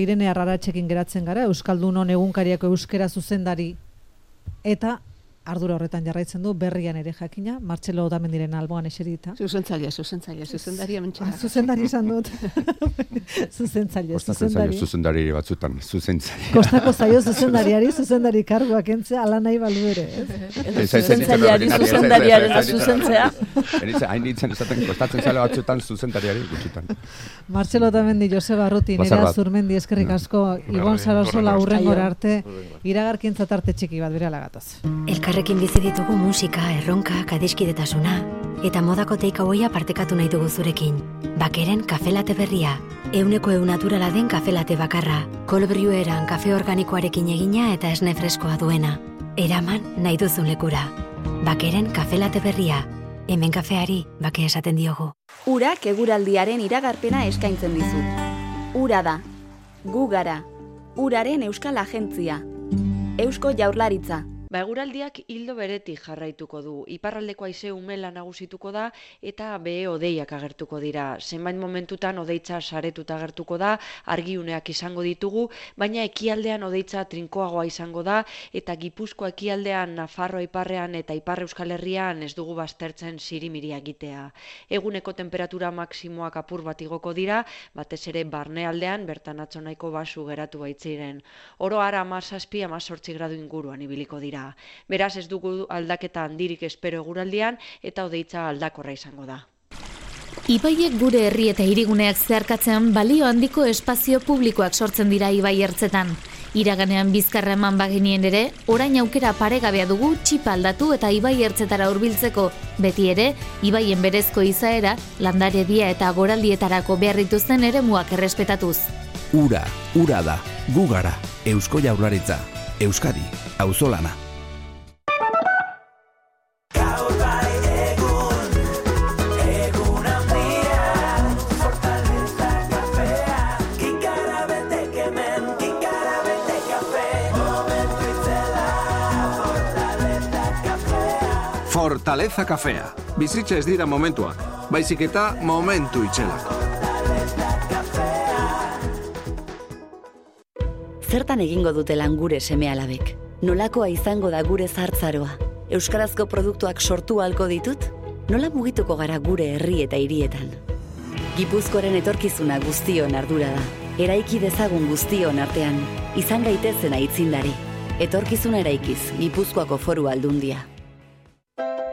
Irene Arraratzekin geratzen gara, Euskaldunon egunkariako euskera zuzendari eta ardura horretan jarraitzen du berrian ere jakina, Martxelo Otamendiren alboan eserita. Zuzentzaile, zuzendari hementxera. Zuzendari izan dut. Zuzentzaile. Zuzendari batzutan, zuzentzaile. Kostako zaio zuzendari karguak entzea, ala nahi balu ere. Zuzendariaren zuzentzea. Hain ditzen esaten, kostatzen zale batzutan zuzendariari gutxitan. Martxelo Otamendi, Joseba Arruti, Nerea Zurmendi, eskerrik asko, Ibon Sarasola urrengora arte, iragarkintza tarte txiki bat berala gatoz. Elkarrekin bizi ditugu musika, erronkak, adiskidetasuna eta modako takeawaya partekatu nahi dugu zurekin. Bakeren kafe latte berria, 100% naturala den kafe latte bakarra, cold brew eran kafe organikoarekin egina eta esne freskoa duena. Eraman nahi duzun lekura. Bakeren kafe latte berria, hemen kafeari bake esaten diogu. Urak eguraldiaren iragarpena eskaintzen dizu. Ura da, gu gara, uraren euskal agentzia, Eusko Jaurlaritza. Eguraldiak hildo beretik jarraituko du. Iparraldeko haize umela nagusituko da eta behe hodeiak agertuko dira. Zenbait momentutan hodeitza saretuta agertuko da, argiuneak izango ditugu, baina ekialdean hodeitza trinkoagoa izango da eta Gipuzkoa ekialdean, Nafarroa iparrean eta Ipar Euskal Herrian ez dugu baztertzen sirimiria egitea. Eguneko temperatura maksimoak apur bat igoko dira, batez ere barnealdean bertan atzo nahiko basu geratu baitziren. Oro har 17-18 gradu inguruan ibiliko dira. Beraz ez dugu aldaketa handirik espero eguraldian eta hodeitza aldakorra izango da. Ibaiek gure herri eta hiriguneak zeharkatzean balio handiko espazio publikoak sortzen dira ibai ertzetan. Iraganean bizkarra eman bagenien ere, orain aukera paregabea dugu txipa aldatu eta ibai ertzetara hurbiltzeko. Beti ere, ibaien berezko izaera, landaredia eta goraldietarako behar dituzten eremuak errespetatuz. Ura da, gu gara, Eusko Jaurlaritza, Euskadi, auzolana. Fortaleza kafea. Bizitza ez dira momentuak, baizik eta momentu itxelako. Zertan egingo dute lan gure seme-alabek? Nolakoa izango da gure zahartzaroa? Euskarazko produktuak sortu ahalko ditut? Nola mugituko gara gure herri eta hirietan? Gipuzkoaren etorkizuna guztion ardura da. Eraiki dezagun guztion artean, izan gaitezen aitzindari. Etorkizuna eraikiz, Gipuzkoako Foru Aldundia.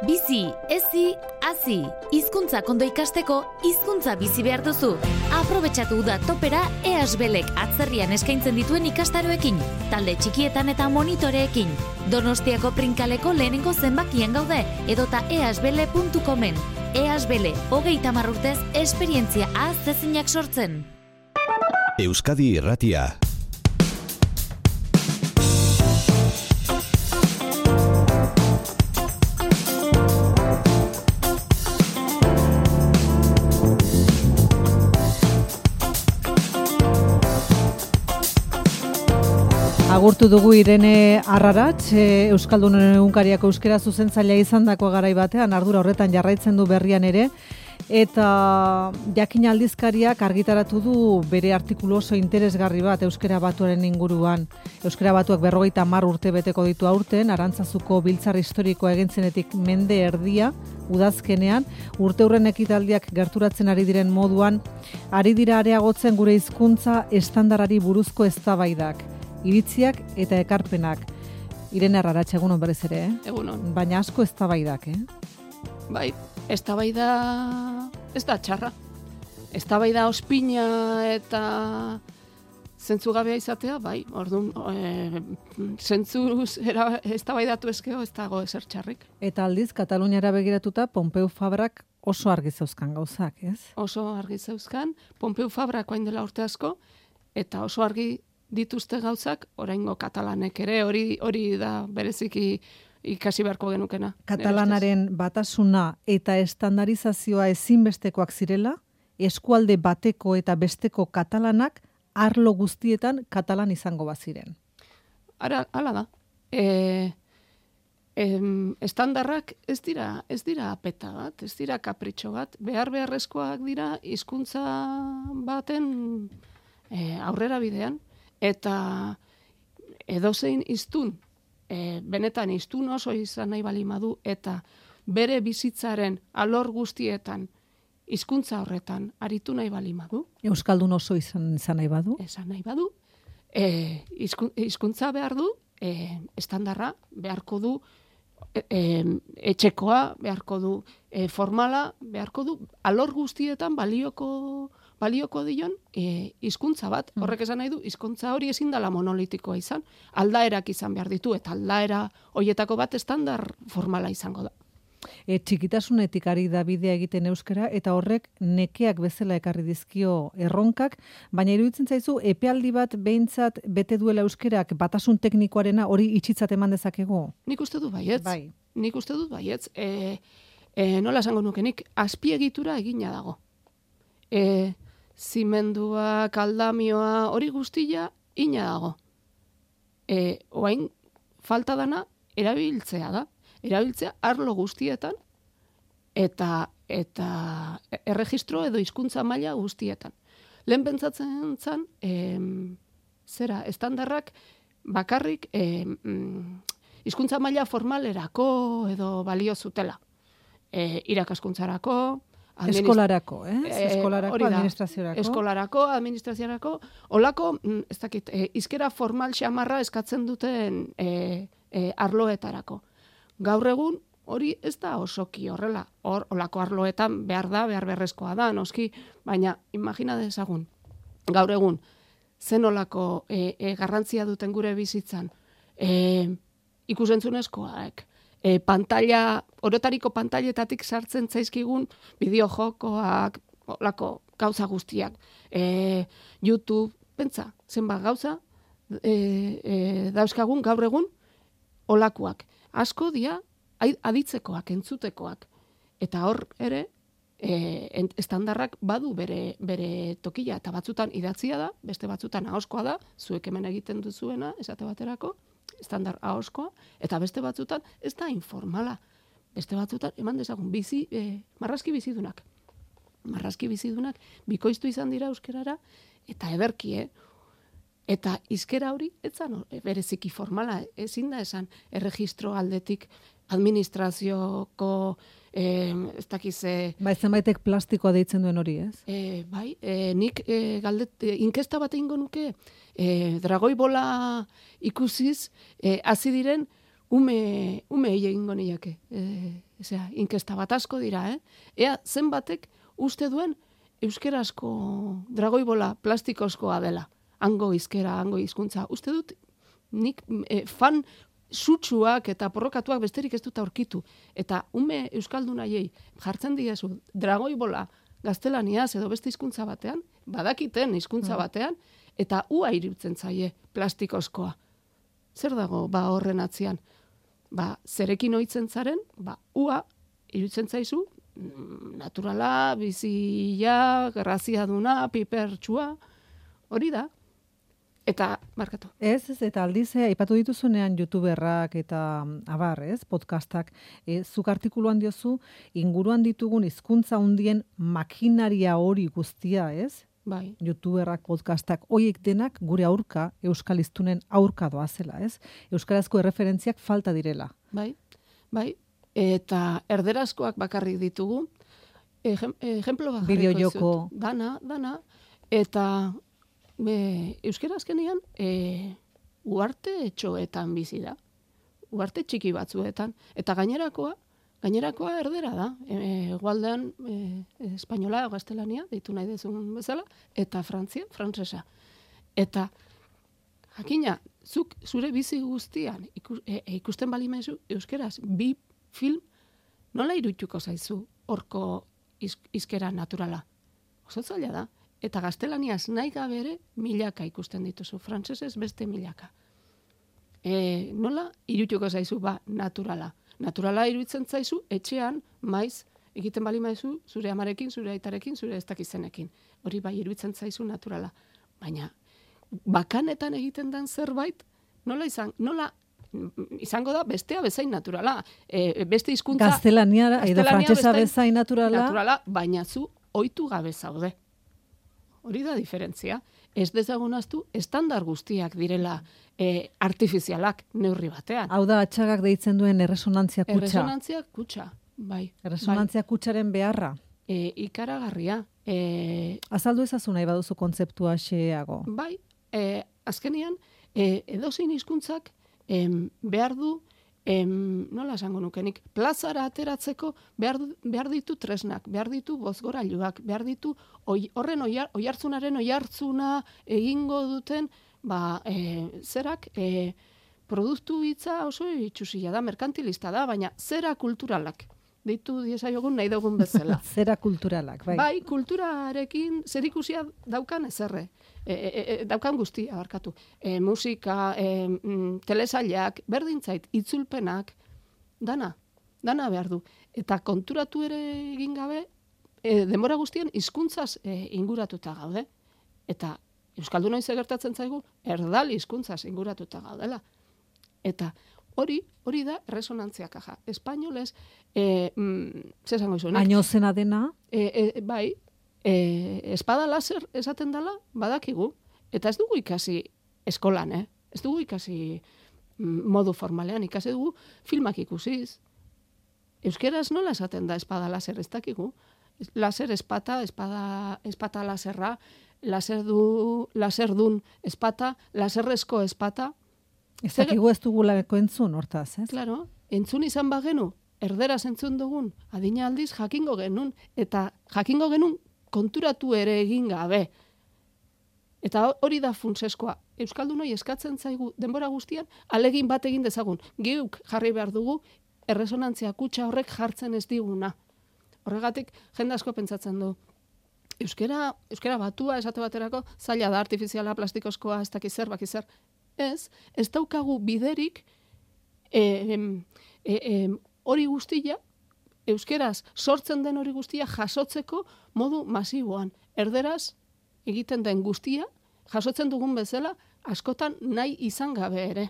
Bizi, ezi, hazi. Hizkuntzak ondo ikasteko, hizkuntza bizi behar duzu. Aprobetxatu da topera EASBelek atzerrian eskaintzen dituen ikastaroekin, talde txikietan eta monitoreekin. Donostiako Prinkaleko lehenengo zenbakian gaude, edota easbele.comen. EASBele, 30 urtez, esperientzia ahaztezinak sortzen. Euskadi Irratia. Agurtu dugu Irene Arraratz, Euskaldunon egunkariako euskera zuzentzailea izandako garai batean, ardura horretan jarraitzen du berrian ere, eta Jakin aldizkariak argitaratu du bere artikulu oso interesgarri bat euskera batuaren inguruan. Euskera batuak 50 urte beteko ditu aurten, Arantzazuko biltzar historikoa egintzenetik mende erdia, udazkenean, urteurren ekitaldiak gerturatzen ari diren moduan, ari dira areagotzen gure hizkuntza estandarari buruzko eztabaidak. Iritziak eta ekarpenak. Irene Arraratz, egunon berriz ere, Egunon. Baina asko eztabaidak, Bai, eztabaida ez da txarra. Eztabaida ospina eta zentzugabea izatea, bai, orduan, zentzuz eztabaidatu ezkeo ez dago ezer txarrik. Eta aldiz, Kataluniara begiratuta, Pompeu Fabrak oso argi zeuzkan gauzak, ez? Oso argi zeuzkan, Pompeu Fabrak orain dela urte asko, eta oso argi dituzte gauzak, oraingo katalanek ere, hori da bereziki ikasi beharko genukena. Katalanaren batasuna eta estandarizazioa ezinbestekoak zirela, eskualde bateko eta besteko katalanak arlo guztietan katalan izango baziren. Hala da. Estandarrak ez dira apeta bat, ez dira kapritxo bat, beharrezkoak dira hizkuntza baten aurrera bidean, eta edozein hiztun, benetan hiztun oso izan nahi balimadu, eta bere bizitzaren alor guztietan, hizkuntza horretan aritu nahi balimadu. Euskaldun oso izan nahi badu. Esan nahi badu. Hizkuntza behar du, estandarra beharko du, etxekoa beharko du, formala beharko du, alor guztietan balioko dion hizkuntza bat. Horrek esan nahi du, hizkuntza hori ezin dela monolitikoa izan, aldaerak izan behar ditu, eta aldaera horietako bat estandar formala izango da. Txikitasunetik ari da bidea egiten euskara, eta horrek nekeak bezala ekarri dizkio erronkak, baina iruditzen zaizu epealdi bat behintzat bete duela euskerak batasun teknikoarena hori itxitzat eman dezakegu? Nik uste dut baietz. Bai. Nik uste dut baietz. Nola esango nukenik, azpiegitura egina dago. Zimendua, kaldamioa, hori guztia ina dago. Oain falta dana erabiltzea da. Erabiltzea arlo guztietan eta erregistro edo hizkuntza maila guztietan. Lehen pentsatzen zen, estandarrak bakarrik hizkuntza maila formalerako edo balio zutela. Irakaskuntzarako, eskolarako, administraziorako. Eskolarako, administraziorako, holako, ez dakit, hizkera formal xamarra eskatzen duten arloetarako. Gaur egun hori ez da osoki horrela. Olako arloetan behar beharrezkoa da, noski, baina imagina dezagun, gaur egun, zen olako garrantzia duten gure bizitzan, ikusentzunezkoak, orotariko pantailetatik sartzen zaizkigun bideojokoak, olako gauza guztiak, YouTube, pentsa, zenbat gauza, dauzkagun gaur egun olakoak. Asko dia aditzekoak, entzutekoak. Eta hor ere, estandarrak badu bere tokia, eta batzutan idatzia da, beste batzutan ahoskoa da, zuek hemen egiten duzuena, esate baterako, estandar ahoskoa, eta beste batzutan ez da informala. Beste batzutan, eman dezagun, marrazki bizidunak. Marrazki bizidunak, bikoiztu izan dira euskerara, eta ederki, eta hizkera hori, etzan bereziki formala, ezin da esan erregistro aldetik administrazioko, ez dakize... Zenbaitek plastikoa deitzen duen hori, ez? Bai, nik inkesta bat egingo nuke, dragoi bola ikusiz, hasi diren ume egingo niake. Inkesta bat asko dira, Ea zenbatek uste duen euskerazko dragoi bola plastikozkoa dela. Hango hizkera, hango hizkuntza. Uste dut, nik fan sutsuak eta porrokatuak besterik ez dut aurkitu. Eta ume euskaldun haiei jartzen diezu dragoi bola gaztelaniaz edo beste hizkuntza batean, badakiten hizkuntza batean, eta ua iruditzen zaie plastikozkoa. Zer dago horren atzian? Zerekin ohitzen zaren, ua iruditzen zaizu, naturala, bizia, graziaduna, pipertsua, hori da. Eta, markatu. Ez, eta aldiz, aipatu dituzunean youtuberrak eta abar, podcastak, zuk artikuluan diozu, inguruan ditugun hizkuntza hundien makinaria hori guztia, ez? Bai. Youtuberrak, podcastak, hoiek denak gure aurka, euskal hiztunen aurka doazela, ez? Euskarazko erreferentziak falta direla. Bai. Eta erderazkoak bakarrik ditugu, ejemplo bakarriko bideojoko. Dana, eta euskera azkenean uarte etxoetan bizi da. Uarte txiki batzuetan. Eta gainerakoa erdera da. Egualdean espainola, gaztelania, deitu nahi dezun bezala, eta frantsesa. Eta jakina, zuk zure bizi guztian ikusten bali maizu euskeraz, bi film, nola irudituko zaizu horko hizkera naturala? Oso zaila da. Eta gaztelaniaz nahi gabe ere milaka ikusten dituzu, frantsesez beste milaka. Nola irudituko zaizu naturala? Naturala iruditzen zaizu etxean maiz egiten bali maizu zure amarekin, zure aitarekin, zure ez dakizenekin. Hori bai iruditzen zaizu naturala. Baina bakanetan egiten den zerbait, nola izango da bestea bezain naturala. Beste hizkuntza gaztelania edo frantsesa bezain naturala, baina zu ohitu gabe zaude. Hori da diferentzia. ez dezagun ahaztu estandar guztiak direla artifizialak neurri batean. Hau da, atxagak deitzen duen erresonantzia kutsa. Erresonantzia kutsa, bai. Erresonantzia kutsaren beharra. Ikaragarria. Azaldu ezazu nahi baduzu kontzeptua xeago. Bai, azkenian, edozein hizkuntzak behar du, nola esango nukenik, plazara ateratzeko behar ditu tresnak, behar ditu bozgorailuak, behar ditu horren oihartzunaren oihartzuna egingo duten, zerak, produktu hitza oso itxusia da, merkantilista da, baina zera kulturalak. Deitu diezaiogun nahi dugun bezala. Zera kulturalak, bai. Bai, kulturarekin zerikusia daukan ezerre. Daukan guztia, barkatu. Musika, telesailak, berdintzait, itzulpenak, dana behar du. Eta konturatu ere egin gabe, denbora guztien hizkuntzaz inguratuta gaude. Eta euskaldunoi ze gertatzen zaigu, erdal hizkuntzaz inguratuta gaudela. Eta hori da resonantzia kaja. Espainolez, zesango izunek? Añozena dena? Bai, espada laser esaten dela, badakigu. Eta ez dugu ikasi eskolan, Ez dugu ikasi modu formalean, ikasi dugu filmak ikusiz. Euskeraz nola esaten da espada laser, ez dakigu. Laser espata laserra, laserdun espata, laserrezko espata. Ez dakigu ez dugulako entzun, hortaz, ez? Claro, entzun izan bagenu, erderaz entzun dugun, adina aldiz jakingo genuen, eta jakingo genuen konturatu ere egin gabe. Eta hori da funtseskoa. Euskaldunoi eskatzen zaigu denbora guztian, alegin bat egin dezagun. Geuk jarri behar dugu, erresonantzia kutsa horrek jartzen ez diguna. Horregatik, jende asko pentsatzen du. Euskera batua esate baterako, zaila da artifiziala, plastikozkoa, ez dakizer, bakizer. Ez daukagu biderik hori guztia, euskeraz sortzen den hori guztia jasotzeko modu masiboan. Erderaz egiten den guztia, jasotzen dugun bezala, askotan nahi izan gabe ere.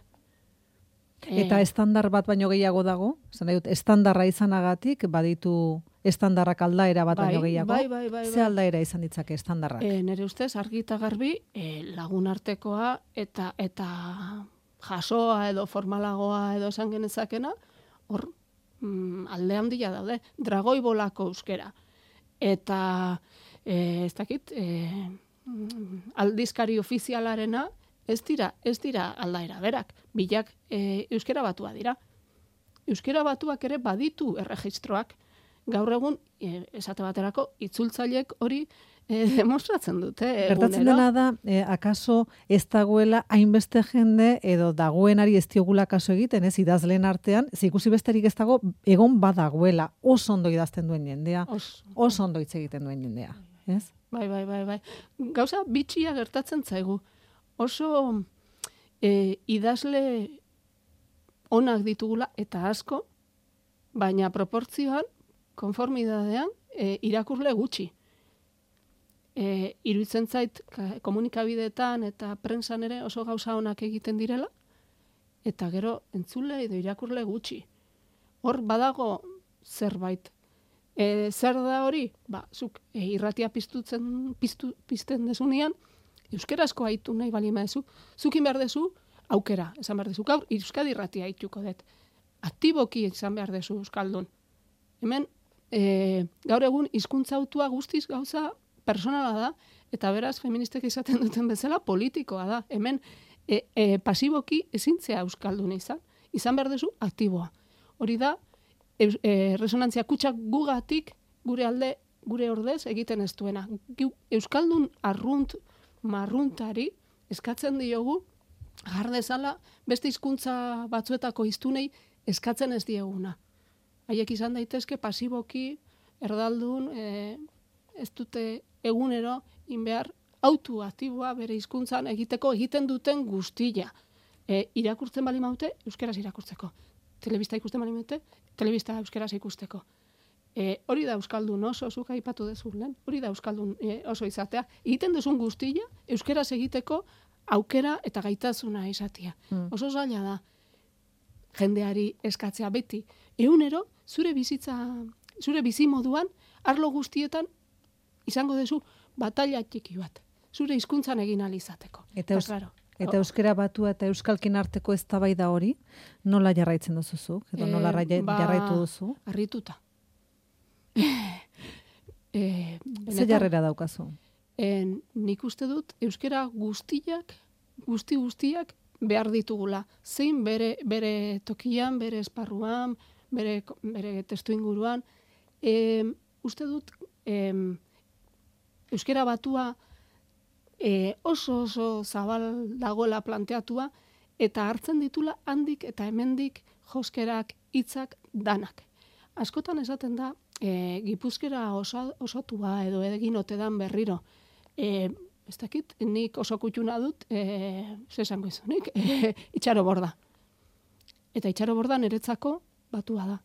Eta estandar bat baino gehiago dago? Estandarra izanagatik, baditu estandarrak aldaera bat baino gehiago? Bai. Ze aldaera izan ditzake estandarrak? Nere ustez, argi eta garbi, lagun artekoa eta jasoa edo formalagoa edo esan genezakena, hor alde handia daude, dragoi bolako euskera. Eta, ez dakit, aldizkari ofizialarena, ez dira aldaera berak, bilak euskera batua dira. Euskera batuak ere baditu erregistroak, gaur egun, esate baterako, itzultzaileek hori demostratzen dute. Gertatzen dena da, akaso ez dagoela hainbeste jende edo dagoenari ez diogula kaso egiten, ez idazleen artean, ikusi besterik ez dago, egon badagoela, oso ondo idazten duen jendea, oso ondo hitz egiten duen jendea. Ez? Bai. Gauza bitxia gertatzen zaigu. Oso idazle onak ditugula eta asko, baina proportzioan, konformidadean, irakurle gutxi. Iruditzen zait komunikabideetan eta prensan ere oso gauza onak egiten direla, eta gero entzule edo irakurle gutxi. Hor badago zerbait. Zer da hori? Zuk irratia pizten dezunean, euskerazko haitu nahi bali maezu, zukin behar dezu, aukera, esan behar dezu, gaur, Euskadi irratia haituko dut. Aktiboki izan behar dezu euskaldun. Hemen, gaur egun, hizkuntza autua guztiz gauza personala da, eta beraz, feministek izaten duten bezala, politikoa da. Hemen, pasiboki ezintzea euskaldun izan behar dezu, aktiboa. Hori da, resonantzia kutsak gugatik, gure alde, gure ordez, egiten ez duena. Euskaldun marruntari eskatzen diogu, jardezala, beste hizkuntza batzuetako hiztunei eskatzen ez dieguna. Haiek izan daitezke pasiboki, erdaldun, ez dute egunero, inbehar, autu aktiboa bere hizkuntzan egiten duten guztia. Irakurtzen bali maute, euskeraz irakurtzeko. Telebista ikusten bali maute, telebista euskeraz ikusteko. Hori da euskaldun oso, zuk aipatu dezu lehen, hori da euskaldun oso izatea. Egiten duzun guztia, euskeraz egiteko aukera eta gaitasuna izatea. Oso zaila da, jendeari eskatzea beti. Egunero, zure bizimoduan, arlo guztietan, izango duzu batalla txiki bat. zure hizkuntzan egin alizateko. Eta euskera batua eta euskalkin arteko eztabaida hori, nola jarraitzen duzu? Edo nola jarraitu duzu? Harrituta. Ze jarrera daukazu? Nik uste dut, euskera guztiak behar ditugula. Zein bere tokian, bere esparruan, bere testu inguruan. Uste dut, euskera batua oso zabal dagoela planteatua, eta hartzen ditula handik eta hemendik joskerak, hitzak danak. Askotan esaten da, Gipuzkera osotua edo egin otedan berriro. Ez dakit, nik oso kutxuna dut, zesango izunik, itxaro borda. Eta itxaro borda niretzako batua da.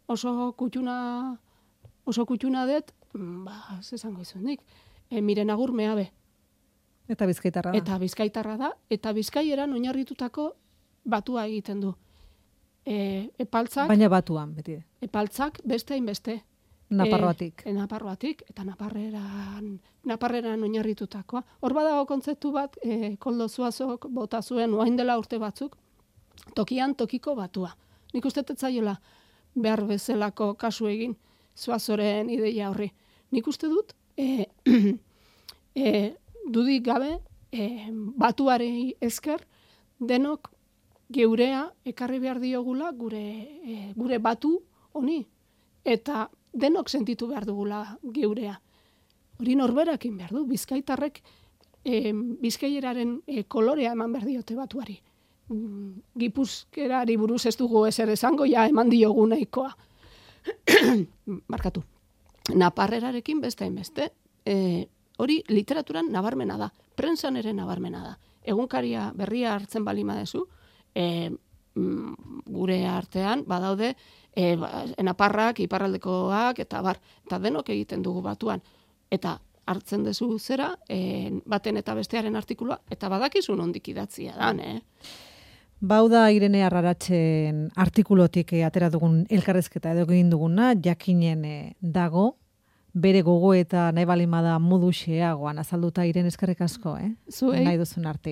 Oso kutxuna dut, zesango izunik, miren agur meabe. Eta bizkaitarra da. Eta bizkaitarra da, eta bizkaieran oinarritutako batua egiten du. Epaltzak... Baina batuan, beti. Epaltzak beste hainbeste. Naparroatik. Naparroatik, eta naparreran oinarritutakoa. Hor badago kontzeptu bat, Koldo Zuazok bota zuen oain dela urte batzuk, tokian tokiko batua. Nik uste tetzaiola behar bezalako kasu egin Zuazoren ideia horri. Nik uste dut, dudik gabe, batuari esker, denok geurea ekarri behar diogula gure batu honi. Eta denok sentitu behar dugula geurea. Hori norberakin behar du, bizkaitarrek bizkaieraren kolorea eman behar diote batuari. Gipuzkerari buruz ez dugu ezer esango, ja eman diogu nahikoa. Markatu. Naparrerarekin beste hainbeste. Hori literaturan nabarmena da, prentsan ere nabarmena da. Egunkaria berria hartzen balima dezu, gure artean badaude naparrak, iparraldekoak, eta denok egiten dugu batuan. Eta hartzen dezu zera, baten eta bestearen artikulua, eta badakizu nondik idatzia dan, Bauda Irene Arraratzen artikulotik atera dugun elkarrezketa edo egin duguna, jakinen dago, bere gogo eta nahi balimada modu xeagoan azalduta Irene eskerrik asko, Zuei. Nahi duzun arte.